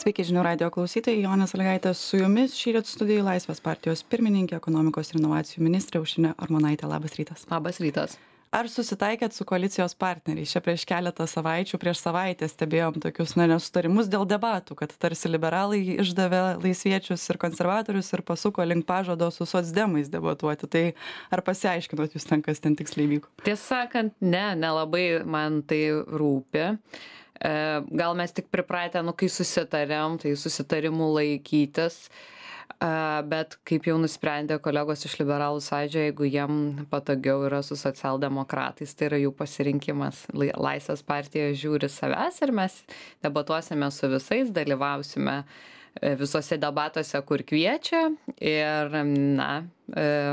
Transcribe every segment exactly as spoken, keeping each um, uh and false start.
Sveiki žinių radijo klausytojai, Jonė Sąlygaitė su jumis. Šįryt studijai Laisvės partijos pirmininkė, ekonomikos ir inovacijų ministrė Aušrinė Armonaitė. Labas rytas. Labas rytas. Ar susitaikėt su koalicijos partneriais? Čia prieš keletą savaičių, prieš savaitę stebėjom tokius na, nesutarimus dėl debatų, kad tarsi liberalai išdavė laisviečius ir konservatorius ir pasuko link pažado su socdemais debatuoti. Tai ar pasiaiškinot jūs ten, kas ten tiksliai vyko? Tiesą sakant, ne, nelabai man tai rūpi. Gal mes tik pripratę, nu, kai susitarėm, tai susitarimų laikytis, bet kaip jau nusprendė kolegos iš liberalų sąjūdžio, jeigu jiem patogiau yra su socialdemokratais, tai yra jų pasirinkimas. Laisvės partija žiūri savęs ir mes debatuosime su visais, dalyvausime visose debatuose, kur kviečia ir, na,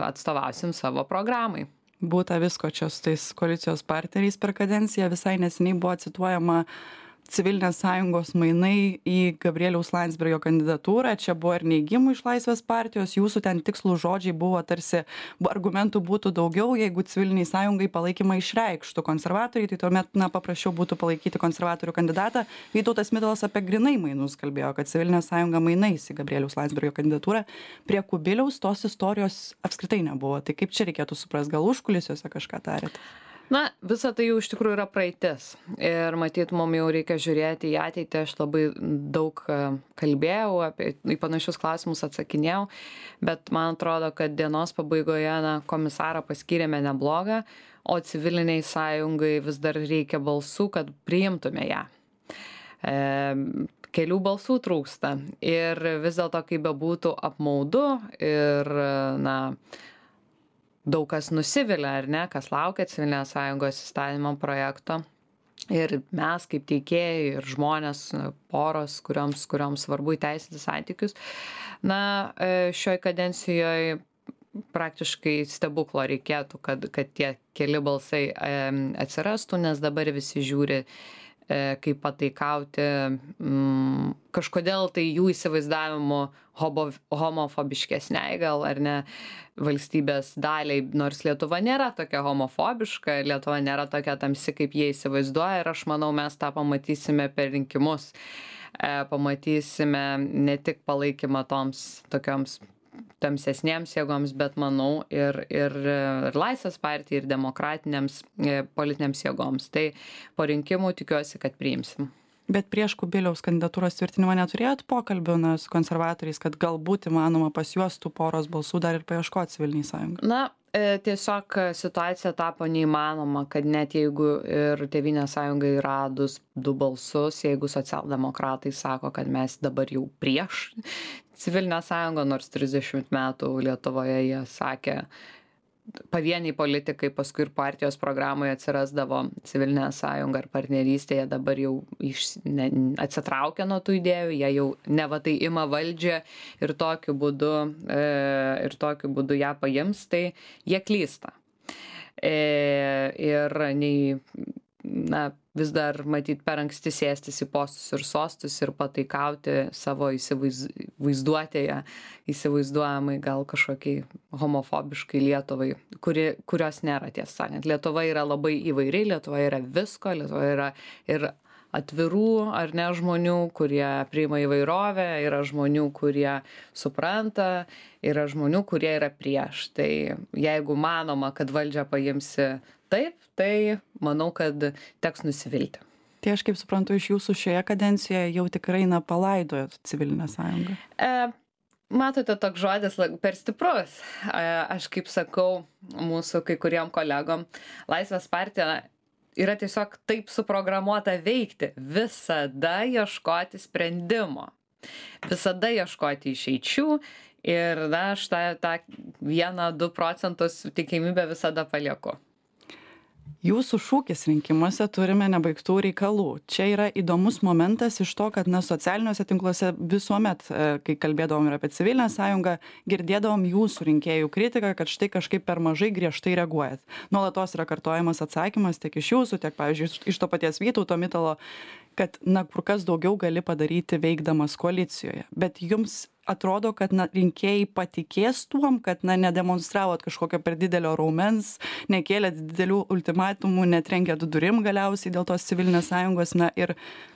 atstovausim savo programai. Būta visko čia su tais koalicijos partneriais per kadenciją. Visai neseniai buvo cituojama Civilinės sąjungos mainai į Gabrieliaus Landsbergio kandidatūrą. Čia buvo ir neigimų iš Laisvės partijos. Jūsų ten tikslų žodžiai buvo tarsi argumentų būtų daugiau, jeigu Civiliniai sąjungai palaikymą išreikštų konservatoriai, tai tuomet na, paprasčiau būtų palaikyti konservatorių kandidatą. Vytautas Mitalas apie grynai mainus kalbėjo, kad Civilinė sąjunga mainais į Gabrieliaus Landsbergio kandidatūrą. Prie Kubiliaus tos istorijos apskritai nebuvo. Tai kaip čia reikėtų suprasti, gal užkulisiuose kažką tarėt? Na, visa tai jau iš tikrųjų yra praeitis ir matyt, mums jau reikia žiūrėti į ateitį. Aš labai daug kalbėjau, apie į panašius klausimus atsakinėjau, bet man atrodo, kad dienos pabaigoje na, komisarą paskyrėme neblogą, o Civiliniai sąjungai vis dar reikia balsų, kad priimtume ją. E, kelių balsų trūksta ir vis dėlto, kaip bebūtų apmaudu ir, na, daug kas nusivilia, ar ne, kas laukia Civilinės sąjungos įstatymo projekto. Ir mes kaip teikėjai ir žmonės, poros, kurioms, kurioms svarbu įteisinti santykius. Na, šioj kadencijoje praktiškai stebuklo reikėtų, kad, kad tie keli balsai atsirastų, nes dabar visi žiūri kaip pataikauti, mm, kažkodėl tai jų įsivaizdavimu hobo, homofobiškesniai gal ar ne valstybės daliai, nors Lietuva nėra tokia homofobiška, Lietuva nėra tokia tamsi, kaip jie įsivaizduoja ir aš manau, mes tą pamatysime per rinkimus. E, pamatysime ne tik palaikymą toms tokioms tamsesnėms jėgoms, bet manau ir, ir, ir Laisvės partijai, ir demokratinėms politinėms jėgoms. Tai po rinkimų tikiuosi, kad priimsim. Bet prieš Kubiliaus kandidatūros tvirtinimą neturėjot pokalbių na, su konservatoriais, kad galbūt įmanoma pas juos tų poros balsų dar ir paieškoti Civiliniai sąjungai? Na, tiesiog situacija tapo neįmanoma, kad net jeigu ir Tėvynės sąjungai radus du balsus, jeigu socialdemokratai sako, kad mes dabar jau prieš Civilinę sąjungą, nors trisdešimt metų Lietuvoje jie sakė, pavieniai politikai paskui ir partijos programoje atsirasdavo Civilinė sąjunga ar partnerystėje, dabar jau iš, ne, atsitraukia nuo tų idėjų, jie jau neva tai ima valdžią ir tokiu būdu, e, ir tokiu būdu ją paims, tai jie klysta. E, ir nei, na, vis dar matyt per anksti sėstis į postus ir sostus ir pataikauti savo įsivaizduotėje, įsivaizduojamai gal kažkokiai homofobiškai Lietuvai, kuri, kurios nėra, tiesą sakant. Lietuva yra labai įvairi, Lietuva yra visko, Lietuva yra ir atvirų ar ne žmonių, kurie priima įvairovę, yra žmonių, kurie supranta, yra žmonių, kurie yra prieš. Tai jeigu manoma, kad valdžią paimsi taip, tai manau, kad teks nusivilti. Tai aš kaip suprantu, iš jūsų šioje kadencijoje jau tikrai na palaidojot Civilinę sąjungą. E, matote, toks žodis per stiprus. E, aš kaip sakau mūsų kai kuriem kolegom, Laisvės partija yra tiesiog taip suprogramuota veikti, visada ieškoti sprendimo, visada ieškoti išeičių ir na, aš tą, tą vieną, du procentus tikimybę visada palieku. Jūsų šūkis rinkimuose turime nebaigtų reikalų. Čia yra įdomus momentas iš to, kad na, socialiniuose tinkluose visuomet, kai kalbėdavom ir apie Civilinę sąjungą, girdėdavom jūsų rinkėjų kritiką, kad štai kažkaip per mažai griežtai reaguojat. Nuolatos yra kartojamas atsakymas tiek iš jūsų, tiek, pavyzdžiui, iš to paties Vytauto Mitalo, kad na, kur kas daugiau gali padaryti veikdamas koalicijoje. Bet jums atrodo, kad na, rinkėjai patikės tuom, kad na, nedemonstravot kažkokio per didelio raumens, nekėlėt didelių ultimatumų, netrenkėt durim galiausiai dėl tos Civilinės sąjungos na, ir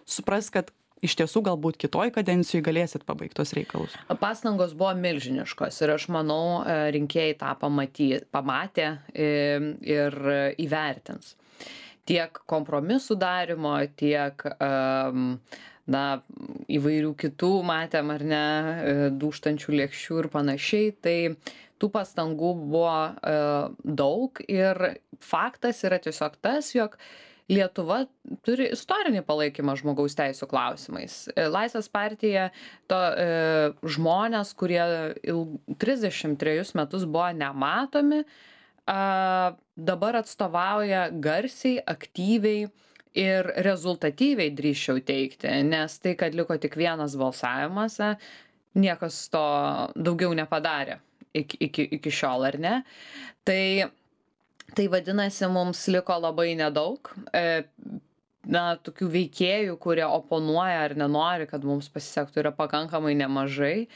supras, kad iš tiesų galbūt kitoj kadencijoj galėsit pabaigt tuos reikalus? Pastangos buvo milžiniškos ir aš manau, rinkėjai tą pamaty, pamatė ir įvertins. Tiek kompromisų darimo, tiek um, na, įvairių kitų matėm ar ne, dūžtančių lėkščių ir panašiai. Tai tų pastangų buvo uh, daug ir faktas yra tiesiog tas, jog Lietuva turi istorinį palaikymą žmogaus teisų klausimais. Laisvės partija to e, žmonės, kurie trisdešimt trejus metus buvo nematomi, a, dabar atstovauja garsiai, aktyviai ir rezultatyviai, drįsčiau teikti, nes tai, kad liko tik vienas balsavimas, niekas to daugiau nepadarė iki, iki, iki šiol, ar ne? Tai Tai vadinasi, mums liko labai nedaug, na, tokių veikėjų, kurie oponuoja ar nenori, kad mums pasisektų, yra pakankamai nemažai.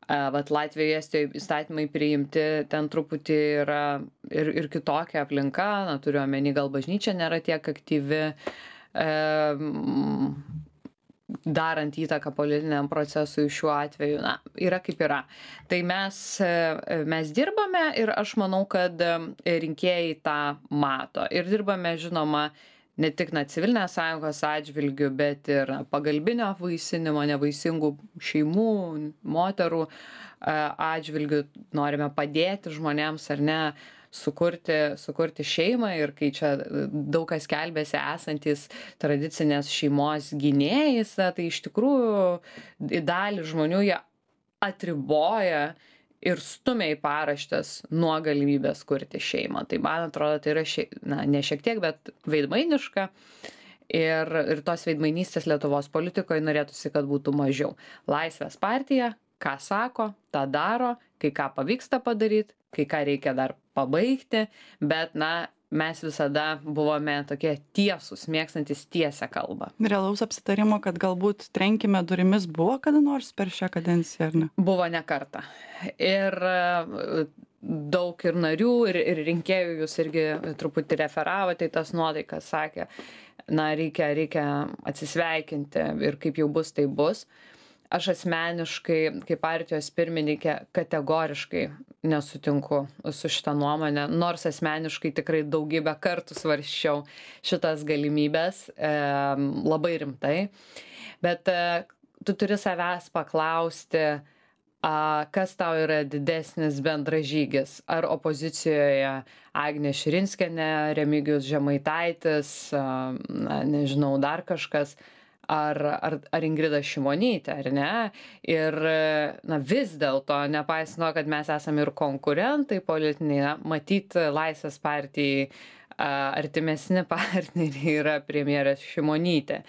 Vat Latvijoje, Estijoje įstatymai priimti, ten truputį yra ir, ir kitokia aplinka, na, turiu omeny, gal bažnyčia nėra tiek aktyvi, e, darant įtaką politiniam procesui šiuo atveju, na, yra kaip yra. Tai mes, mes dirbame ir aš manau, kad rinkėjai tą mato. Ir dirbame, žinoma, ne tik na, civilinės sąjungos atžvilgių, bet ir pagalbinio vaisinimo, nevaisingų šeimų, moterų atžvilgių. Norime padėti žmonėms, ar ne, sukurti, sukurti šeimą ir kai čia daug kas kelbėsi esantis tradicinės šeimos gynėjais, tai iš tikrųjų dalį žmonių jie atriboja ir stumia į paraštes nuo galimybės kurti šeimą. Tai man atrodo, tai yra šie, na, ne šiek tiek, bet veidmainiška. Ir, ir tos veidmainystės Lietuvos politikoje norėtųsi, kad būtų mažiau. Laisvės partija, ką sako, tą daro, kai ką pavyksta padaryti, kai ką reikia dar pabaigti, bet, na, mes visada buvome tokie tiesūs, mėgstantis tiesę kalbą. Realaus apsitarimo, kad galbūt trenkime durimis buvo kada nors per šią kadenciją, ar ne? Buvo ne kartą. Ir daug ir narių, ir, ir rinkėjų, jūs irgi truputį referavote, tai tas nuotaikas sakė, na, reikia, reikia atsisveikinti ir kaip jau bus, tai bus. Aš asmeniškai, kaip partijos pirmininkė, kategoriškai nesutinku su šitą nuomonę, nors asmeniškai tikrai daugybę kartų svarsčiau šitas galimybės e, labai rimtai. Bet e, tu turi savęs paklausti, a, kas tau yra didesnis bendražygis. Ar opozicijoje Agnė Širinskienė, Remigijus Žemaitaitis, a, na, nežinau, dar kažkas, Ar, ar, ar Ingrida Šimonytė, ar ne? Ir na, vis dėlto, nepaisant, kad mes esame ir konkurentai politiniai, matyti Laisvės partijai artimesni partneriai yra premjerės Šimonytė.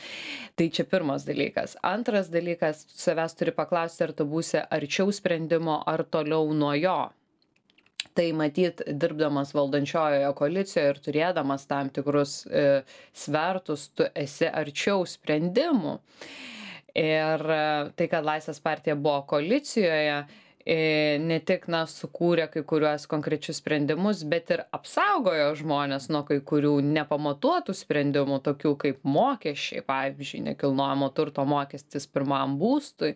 Tai čia pirmas dalykas. Antras dalykas, savęs turi paklausti, ar tu būsi arčiau sprendimo, ar toliau nuo jo. Tai matyt, dirbdamas valdančiojoje koalicijoje ir turėdamas tam tikrus e, svertus, tu esi arčiau sprendimų. Ir e, tai, kad Laisvės partija buvo koalicijoje, e, ne tik na, sukūrė kai kuriuos konkrečius sprendimus, bet ir apsaugojo žmonės nuo kai kurių nepamatuotų sprendimų, tokių kaip mokesčiai, pavyzdžiui, nekilnojamo turto mokestis pirmam būstui.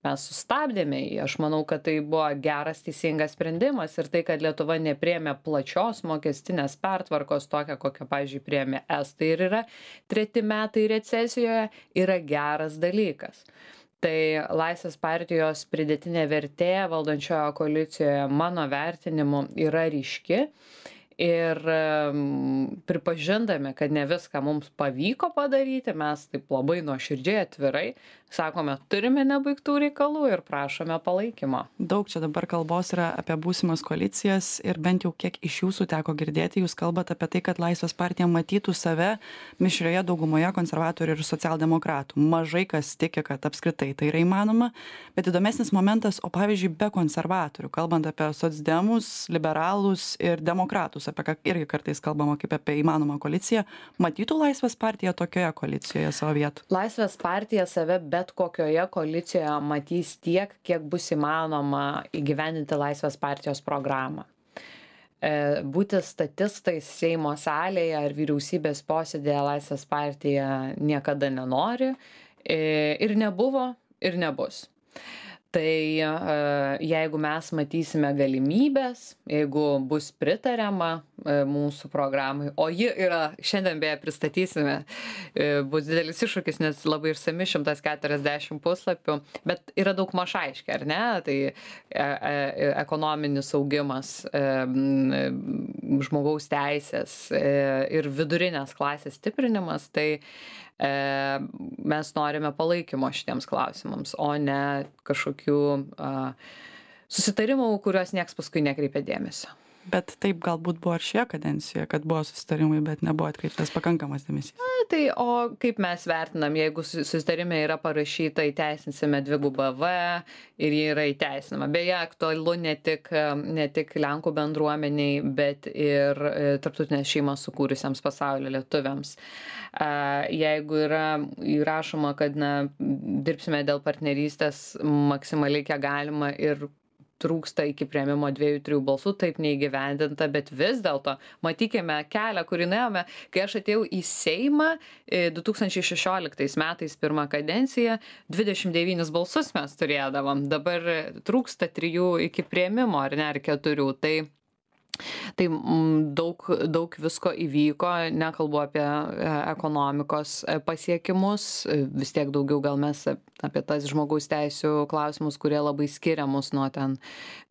Mes sustabdėme jį. Aš manau, kad tai buvo geras, teisingas sprendimas ir tai, kad Lietuva nepriėmė plačios mokestinės pertvarkos tokią, kokią, pavyzdžiui, priėmė Estai ir yra treti metai recesijoje, yra geras dalykas. Tai Laisvės partijos pridėtinė vertė valdančiojo koalicijoje, mano vertinimu, yra ryški. Ir um, pripažindami, kad ne viską mums pavyko padaryti, mes taip labai nuoširdžiai atvirai sakome, turime nebaigtų reikalų ir prašome palaikymo. Daug čia dabar kalbos yra apie būsimas koalicijas ir bent jau kiek iš jūsų teko girdėti, jūs kalbate apie tai, kad Laisvės partija matytų save mišrioje daugumoje konservatorių ir socialdemokratų. Mažai kas tiki, kad apskritai tai yra įmanoma, bet įdomesnis momentas, o pavyzdžiui, be konservatorių, kalbant apie socdemus, liberalus ir demokratus, apie ką irgi kartais kalbama kaip apie įmanomą koaliciją, matytų Laisvės partija tokioje koalicijoje savo vietų? Laisvės partija save bet kokioje koalicijoje matys tiek, kiek bus įmanoma įgyvendinti Laisvės partijos programą. Būti statistais Seimo salėje ar vyriausybės posėdėje Laisvės partija niekada nenori Ir nebuvo, ir nebus. Tai jeigu mes matysime galimybės, jeigu bus pritariama mūsų programai, o ji yra, šiandien beje pristatysime, bus didelis iššūkis, nes labai išsami šimtas keturiasdešimt puslapių, bet yra daug maž aiškiai, ar ne? Tai ekonominis augimas, žmogaus teisės ir vidurinės klasės stiprinimas, tai mes norime palaikymo šitiems klausimams, o ne kažkokių a, susitarimų, kuriuos nieks paskui nekreipia dėmesio. Bet taip galbūt buvo ir šioje kadencijoje, kad buvo susitarimai, bet nebuvo atkreiptas pakankamas dėmesys. Na, tai o kaip mes vertinam, jeigu susitarime yra parašyta įteisinsime dvigubą V ir jį yra įteisinama. Beje, aktualu ne tik, ne tik Lenkų bendruomeniai, bet ir tarptautinės šeimas sukūrusiems pasaulio lietuviams. Jeigu yra įrašoma, kad na, dirbsime dėl partnerystės maksimaliai kiek galima ir trūksta iki priėmimo dviejų, trijų balsų, taip neįgyvendinta, bet vis dėlto matykime kelią, kurį nuėjome, kai aš atėjau į Seimą du tūkstančiai šešioliktais metais pirmą kadenciją, dvidešimt devynis balsus mes turėdavom, dabar trūksta trijų iki priėmimo, ar ne, ar keturių, tai Tai daug, daug visko įvyko, nekalbu apie ekonomikos pasiekimus, vis tiek daugiau gal mes apie tas žmogaus teisių klausimus, kurie labai skiria mus nuo ten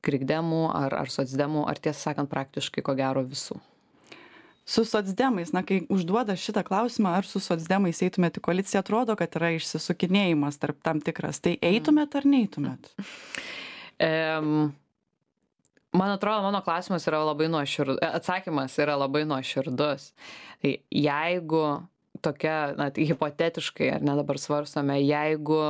krikdemų ar, ar socdemų, ar tiesą sakant praktiškai ko gero visų. Su socdemais, na, kai užduoda šitą klausimą, ar su socdemais eitumėt į koaliciją, atrodo, kad yra išsisukinėjimas tarp tam tikras. Tai eitumėt ar neeitumėt? Um, Man atrodo, mano klausimas yra labai nuoširdus, atsakymas yra labai nuoširdus. Tai jeigu tokia, na, tai hipotetiškai, ar ne dabar svarstome, jeigu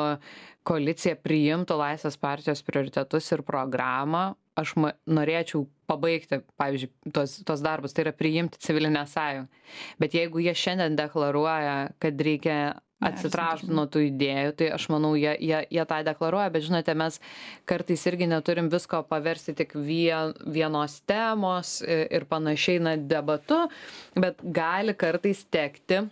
koalicija priimtų Laisvės partijos prioritetus ir programą, aš ma, norėčiau pabaigti, pavyzdžiui, tos, tos darbus, tai yra priimti civilinę sąjungą. Bet jeigu jie šiandien deklaruoja, kad reikia atsitraukti nuo tų idėjų, tai aš manau, jie, jie, jie tą deklaruoja, bet žinote, mes kartais irgi neturim visko paversti tik vien, vienos temos ir panašiai, na, debatu, bet gali kartais tekti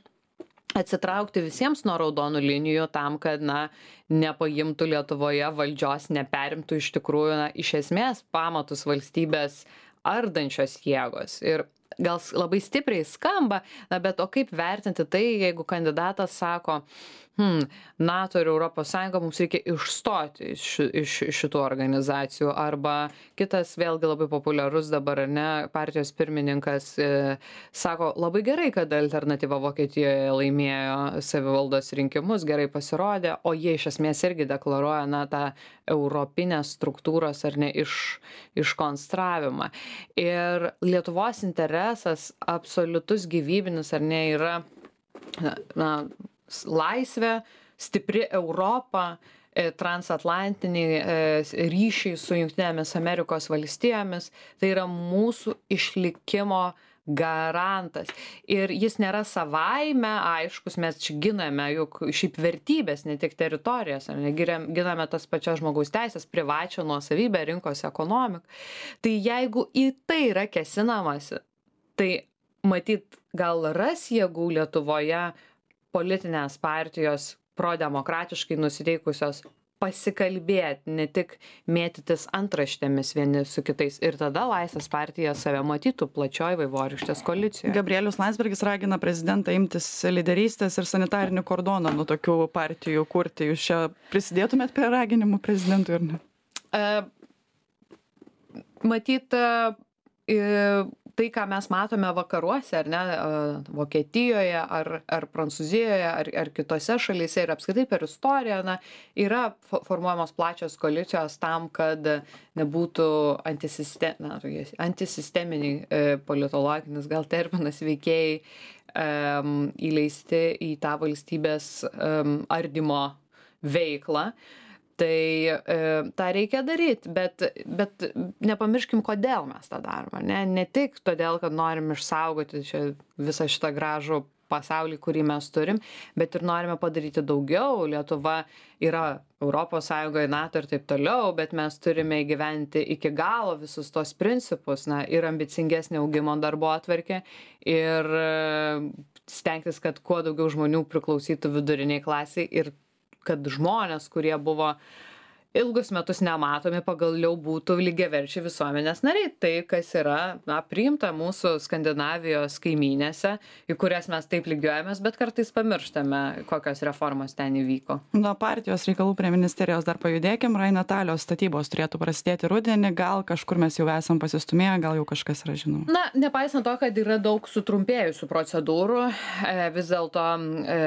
atsitraukti visiems nuo raudonų linijų tam, kad, na, nepaimtų Lietuvoje valdžios, neperimtų iš tikrųjų, na, iš esmės pamatus valstybės ardančios jėgos. Ir gal labai stipriai skamba, na, bet o kaip vertinti tai, jeigu kandidatas sako, hmm, NATO ir Europos Sąjunga mums reikia išstoti iš, iš, iš šitų organizacijų, arba kitas vėlgi labai populiarus dabar, ne, partijos pirmininkas e, sako, labai gerai, kad alternatyva Vokietijoje laimėjo savivaldos rinkimus, gerai pasirodė, o jie iš esmės irgi deklaruoja, na, tą europinės struktūros ar ne iš, iškonstravimą. Ir Lietuvos interesas absoliutus gyvybinis ar ne yra, na, laisvė, stipri Europa, transatlantiniai ryšiai su Jungtinėmis Amerikos valstijomis, tai yra mūsų išlikimo garantas. Ir jis nėra savaime aiškus, mes čia giname juk šiaip vertybės, ne tik teritorijas, ne, giname tas pačias žmogaus teisės, privačią nuosavybę, rinkos ekonomiką. Tai jeigu į tai yra kėsinamasi, tai matyt gal ras jėgų Lietuvoje politinės partijos prodemokratiškai nusiteikusios pasikalbėti, ne tik mėtytis antraštėmis vieni su kitais. Ir tada Laisvės partija save matytų plačioj vaivorykštės koalicijoje. Gabrielius Landsbergis ragina prezidentą imtis lyderystės ir sanitarinį kordoną nuo tokių partijų kurti. Jūs čia prisidėtumėt prie raginimų prezidentui ar ne? Uh, matyt, uh, tai, ką mes matome vakaruose, ar ne, Vokietijoje, ar, ar Prancūzijoje, ar, ar kitose šalyse ir apskritai per istoriją, na, yra formuojamos plačios koalicijos tam, kad nebūtų antisiste, na, antisisteminiai politologinis gal terminas veikėjai um, įleisti į tą valstybės um, ardymo veiklą. Tai e, tą reikia daryti, bet, bet nepamirškim, kodėl mes tą darome. Ne, ne tik todėl, kad norim išsaugoti čia visą šitą gražų pasaulį, kurį mes turim, bet ir norime padaryti daugiau. Lietuva yra Europos Sąjungoje, NATO ir taip toliau, bet mes turime įgyventi iki galo visus tos principus, na, ir ambicingesnė augimo darbotvarkė, ir stengtis, kad kuo daugiau žmonių priklausytų viduriniai klasiai ir kad žmonės, kurie buvo ilgus metus nematomi, pagaliau būtų lygiaverčiai visuomenės nariai. Tai, kas yra na, priimta mūsų Skandinavijos kaimynėse, į kurias mes taip lygiuojamės, bet kartais pamirštame, kokios reformos ten įvyko. Nuo partijos reikalų prie ministerijos dar pajudėkim. Rainmetalio statybos turėtų prasidėti rudenį, gal kažkur mes jau esam pasistumėję, gal jau kažkas yra žinoma. Na, nepaisant to, kad yra daug sutrumpėjusių procedūrų, e, vis dėlto e,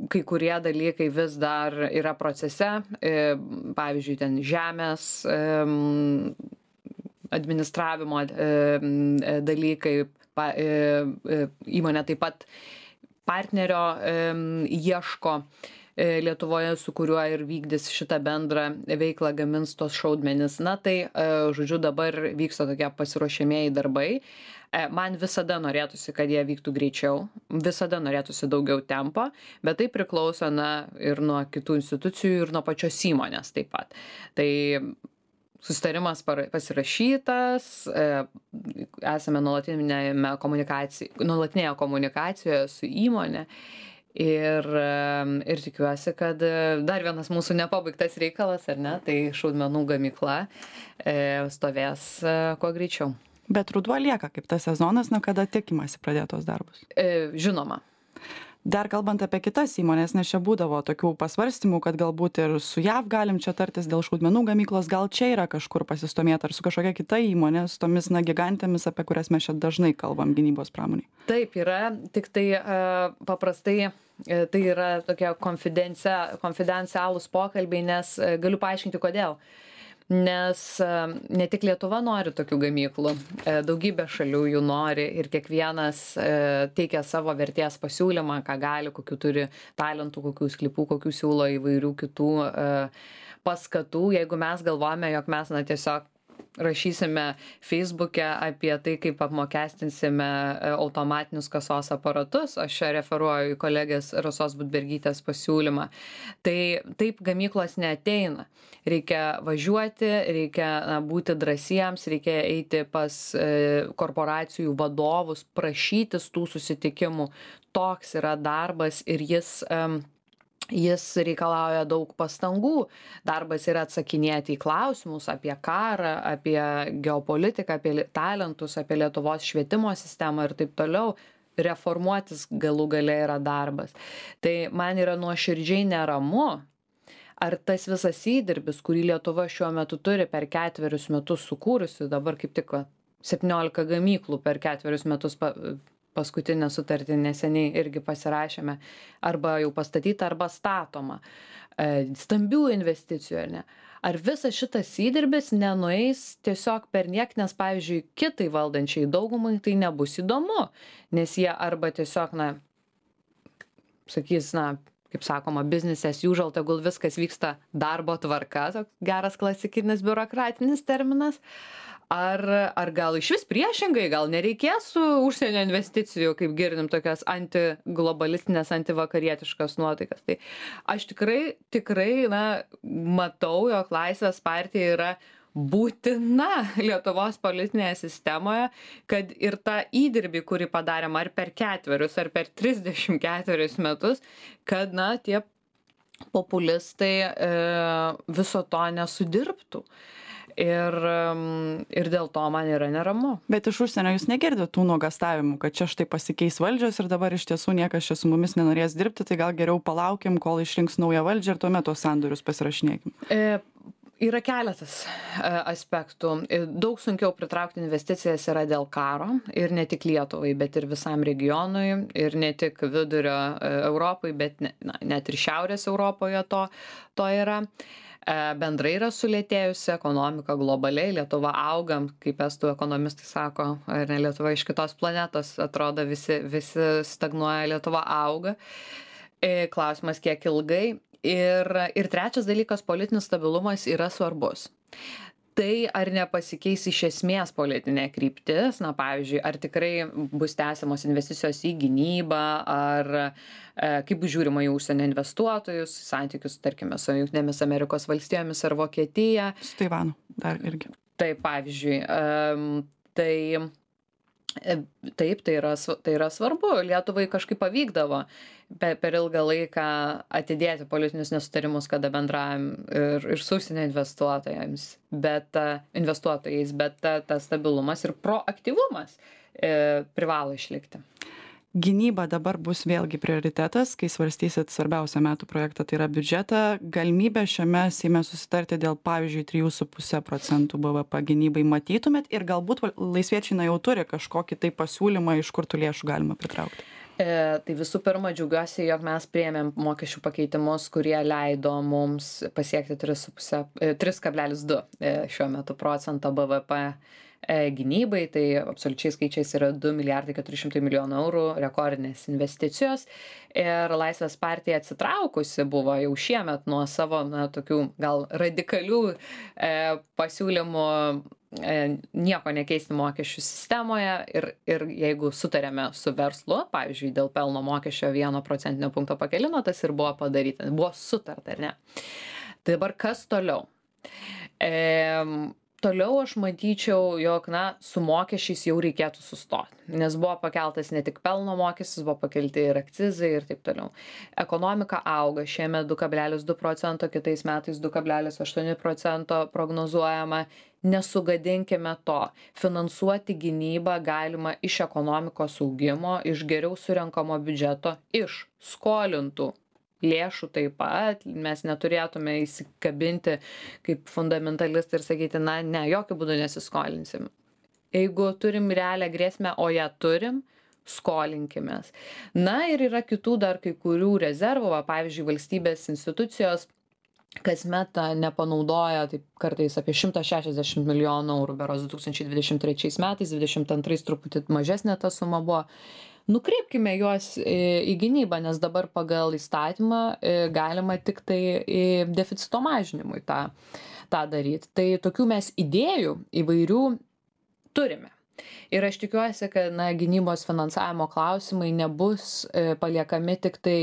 kai kurie dalykai vis dar yra procese. E, pavyzdžiui, ten žemės administravimo dalykai, įmonė taip pat partnerio ieško Lietuvoje, su kuriuo ir vykdys šitą bendrą veiklą, gamins tos šaudmenis. Na tai, žodžiu, dabar vyksta tokie pasiruošiamieji darbai. Man visada norėtųsi, kad jie vyktų greičiau, visada norėtųsi daugiau tempo, bet tai priklauso na, ir nuo kitų institucijų, ir nuo pačios įmonės taip pat. Tai susitarimas pasirašytas, esame nuolatinėje komunikacijoje, nuolatinėje komunikacijoje su įmonė. Ir, ir tikiuosi, kad dar vienas mūsų nepabaigtas reikalas, ar ne, tai šaudmenų gamykla stovės kuo greičiau. Bet ruduo lieka kaip tas sezonas, nuo kada tikimasi pradėtos darbus? E, žinoma. Dar kalbant apie kitas įmonės, nes čia būdavo tokių pasvarstymų, kad galbūt ir su J A V galim čia tartis dėl šaudmenų gamyklos, gal čia yra kažkur pasistumėta ar su kažkokia kita įmonė, su tomis na, gigantėmis, apie kurias mes čia dažnai kalbam gynybos pramoniai. Taip yra, tik tai uh, paprastai uh, tai yra tokie konfidencialūs pokalbiai, nes uh, galiu paaiškinti kodėl. Nes ne tik Lietuva nori tokių gamyklų, daugybė šalių jų nori ir kiekvienas teikia savo vertės pasiūlymą, ką gali, kokių turi talentų, kokių sklypų, kokių siūlo įvairių kitų paskatų. Jeigu mes galvojame, jog mes na, tiesiog rašysime Facebook'e apie tai, kaip apmokestinsime automatinius kasos aparatus, aš čia referuoju į kolegės Rasos Budbergytės pasiūlymą, tai taip gamyklos neateina. Reikia važiuoti, reikia na, būti drąsiems, reikia eiti pas e, korporacijų vadovus, prašytis tų susitikimų. Toks yra darbas ir jis... E, Jis reikalauja daug pastangų. Darbas yra atsakinėti į klausimus apie karą, apie geopolitiką, apie talentus, apie Lietuvos švietimo sistemą ir taip toliau. Reformuotis galų gale yra darbas. Tai man yra nuoširdžiai neramu, ar tas visas įdirbis, kurį Lietuva šiuo metu turi per ketverius metus sukūrusi, dabar kaip tik septyniolika gamyklų per ketverius metus pa, paskutinę sutartį neseniai irgi pasirašėme, arba jau pastatyta, arba statoma. Stambių investicijų, ar ne? Ar visas šitas įdirbis nenueis tiesiog per niek, nes, pavyzdžiui, kitai valdančiai daugumai tai nebus įdomu, nes jie arba tiesiog, na, sakys, na, kaip sakoma, business as usual, tegul viskas vyksta darbo tvarka, toks geras klasikinis biurokratinis terminas, Ar, ar gal iš vis priešingai, gal nereikės su užsienio investicijų, kaip girdim, tokias antiglobalistinės, antivakarietiškas nuotaikas. Tai aš tikrai, tikrai, na, matau, jog Laisvės partija yra būtina Lietuvos politinėje sistemoje, kad ir tą įdirbį, kurį padarėm ar per ketverius, ar per trisdešimt ketverius metus, kad, na, tie populistai e, viso to nesudirbtų. Ir, ir dėl to man yra neramu. Bet iš užsienio jūs negirdite tų nuogastavimų, kad čia štai pasikeis valdžios ir dabar iš tiesų niekas čia su mumis nenorės dirbti, tai gal geriau palaukim, kol išrinks naują valdžią ir tuomet tos sandorius pasirašinėkim. E, yra keletas e, aspektų. Daug sunkiau pritraukti investicijas yra dėl karo ir ne tik Lietuvai, bet ir visam regionui ir ne tik vidurio Europai, bet ne, na, net ir šiaurės Europoje to, to yra. Bendrai yra sulėtėjusi ekonomika globaliai, Lietuva augam, kaip estų ekonomistai sako, ar ne, Lietuva iš kitos planetos, atrodo visi, visi stagnuoja, Lietuva auga. Klausimas, kiek ilgai. Ir, ir trečias dalykas, politinis stabilumas yra svarbus. Tai ar nepasikeis iš esmės politinė kryptis, na pavyzdžiui, ar tikrai bus tęsiamos investicijos į gynybą, ar e, kaip bus žiūrima į užsienio investuotojus, santykius, tarkime, su Jungtinėmis Amerikos valstijomis ar Vokietija. Su Taivanu dar irgi. Tai pavyzdžiui, e, tai Taip, tai yra, tai yra svarbu. Lietuvai kažkaip pavykdavo per, per ilgą laiką atidėti politinius nesutarimus, kada bendravom ir, ir su užsienio investuotojams, bet investuotojais, bet ta, ta stabilumas ir proaktyvumas e, privalo išlikti. Gynyba dabar bus vėlgi prioritetas, kai svarstysit svarbiausią metų projektą, tai yra biudžetą. Galimybę šiame Seime susitarti dėl, pavyzdžiui, trijų su puse procentų B V P gynybai matytumėt ir galbūt laisviečiai na jau turi kažkokį tai pasiūlymą, iš kur tų lėšų galima pritraukti. E, tai visų pirma, džiaugiuosi, jog mes priėmėm mokesčių pakeitimus, kurie leido mums pasiekti tris kablelis du šiuo metu procento B V P gynybai, tai absoliučiai skaičiais yra du milijardai keturi šimtai milijonų eurų rekordinės investicijos. Ir Laisvės partija atsitraukusi buvo jau šiemet nuo savo na, tokių gal radikalių e, pasiūlymų e, nieko nekeisti mokesčių sistemoje ir, ir jeigu sutarėme su verslu, pavyzdžiui, dėl pelno mokesčio vieno procentinio punkto pakelimo, tas ir buvo padaryta, buvo sutarta, ar ne? Tai dabar kas toliau? E, Toliau aš matyčiau, jog na, su mokesčiais jau reikėtų sustoti, nes buvo pakeltas ne tik pelno mokestis, buvo pakelti ir akcizai ir taip toliau. Ekonomika auga, šiemet du kablelis du procento, kitais metais du kablelis aštuoni procento prognozuojama. Nesugadinkime to. Finansuoti gynybą galima iš ekonomikos augimo, iš geriau surenkamo biudžeto, iš skolintų lėšų taip pat. Mes neturėtume įsikabinti kaip fundamentalistai ir sakyti, na, ne, jokių būdų nesiskolinsim. Jeigu turim realią grėsmę, o ją turim, skolinkimės. Na ir yra kitų dar kai kurių rezervų, pavyzdžiui, valstybės institucijos kasmet nepanaudoja taip kartais apie šimtas šešiasdešimt milijonų eurų, berods du tūkstančiai dvidešimt trečiais metais, dvidešimt antrais truputį mažesnė ta suma buvo. Nukreipkime juos į gynybą, nes dabar pagal įstatymą galima tik tai deficito mažinimui tą, tą daryti. Tai tokių mes idėjų įvairių turime. Ir aš tikiuosi, kad na, gynybos finansavimo klausimai nebus paliekami tik tai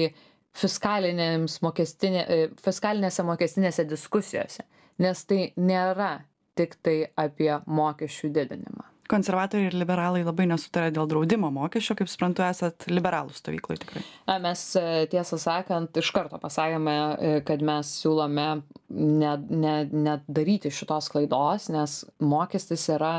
fiskalinėse mokestinė, fiskalinėse mokestinėse diskusijose, nes tai nėra tik tai apie mokesčių didinimą. Konservatoriai ir liberalai labai nesutarė dėl draudimo mokesčio, kaip suprantu, esat liberalų stovyklai tikrai. Na, mes tiesą sakant, iš karto pasakėme, kad mes siūlome nedaryti ne, ne šitos klaidos, nes mokestis yra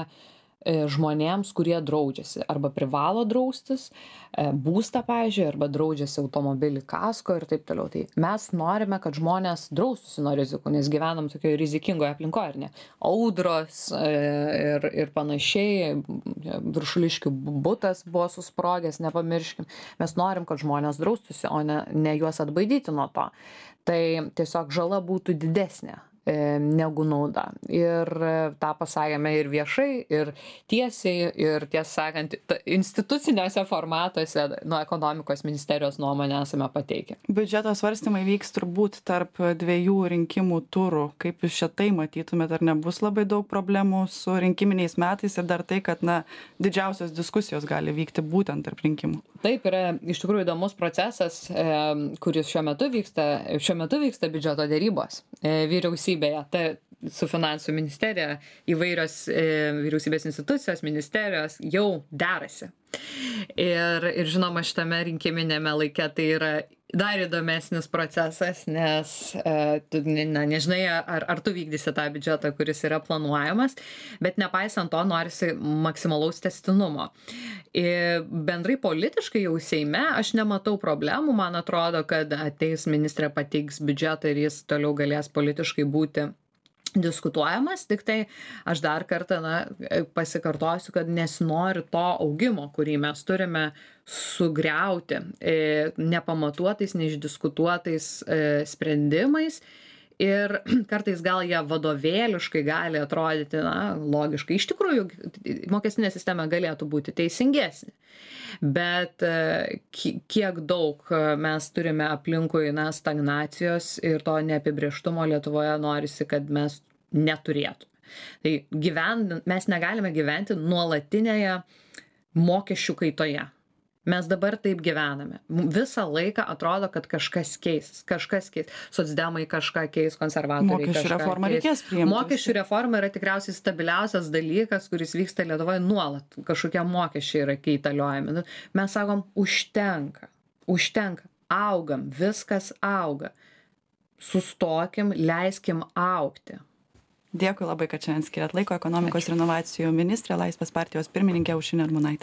žmonėms, kurie draudžiasi arba privalo draustis, būstą, pavyzdžiui, arba draudžiasi automobilį kasko ir taip toliau. Tai mes norime, kad žmonės draustųsi nuo rizikų, nes gyvenam tokioje rizikingoje aplinkoje, ar ne? Audros ir, ir panašiai, Viršuliškių butas buvo susprogęs, nepamirškim. Mes norim, kad žmonės draustųsi, o ne, ne juos atbaidyti nuo to. Tai tiesiog žala būtų didesnė negu nauda. Ir tą pasakėme ir viešai, ir tiesiai, ir tiesą sakant, instituciniuose formatuose nuo ekonomikos ministerijos nuomonę esame pateikę. Biudžeto svarstymai vyks turbūt tarp dviejų rinkimų turų. Kaip jūs šitai matytumėt, ar nebus labai daug problemų su rinkiminiais metais ir dar tai, kad na, didžiausios diskusijos gali vykti būtent tarp rinkimų? Taip, yra iš tikrųjų įdomus procesas, kuris šiuo metu vyksta, šiuo metu vyksta biudžeto dėrybos vyriausybėje. Tai su finansų ministerija įvairios e, vyriausybės institucijos, ministerijos jau derasi. Ir, ir žinoma, šitame rinkiminėme laike tai yra dar įdomesnis procesas, nes e, tu na, nežinai, ar, ar tu vykdysi tą biudžetą, kuris yra planuojamas, bet nepaisant to norisi maksimalaus tęstinumo. Ir bendrai politiškai jau Seime aš nematau problemų, man atrodo, kad ateis ministrė pateiks biudžetą ir jis toliau galės politiškai būti diskutuojamas, tik tai aš dar kartą na, pasikartosiu, kad nesinori to augimo, kurį mes turime sugriauti e, nepamatuotais, neišdiskutuotais e, sprendimais. Ir kartais gal jie vadovėliškai gali atrodyti na, logiškai. Iš tikrųjų, mokestinė sistema galėtų būti teisingesnė. Bet kiek daug mes turime aplinkui na, stagnacijos ir to neapibrėžtumo Lietuvoje norisi, kad mes neturėtume. Tai gyven, mes negalime gyventi nuolatinėje mokesčių kaitoje. Mes dabar taip gyvename. Visą laiką atrodo, kad kažkas keis, kažkas keis. Socdemai kažką keis, konservatoriai Mokesčių kažką reformą keis. reikės priimti. Mokesčių reforma yra tikriausiai stabiliausias dalykas, kuris vyksta Lietuvoje nuolat. Kažkokie mokesčiai yra keitaliojami. Nu, mes sakom, užtenka, užtenka, augam, viskas auga. Sustokim, leiskim augti. Dėkui labai, kad šiandien skiriat laiko. Ekonomikos ir inovacijų ministrė, Laisvės partijos pirmininkė Aušrinė Armonaitė.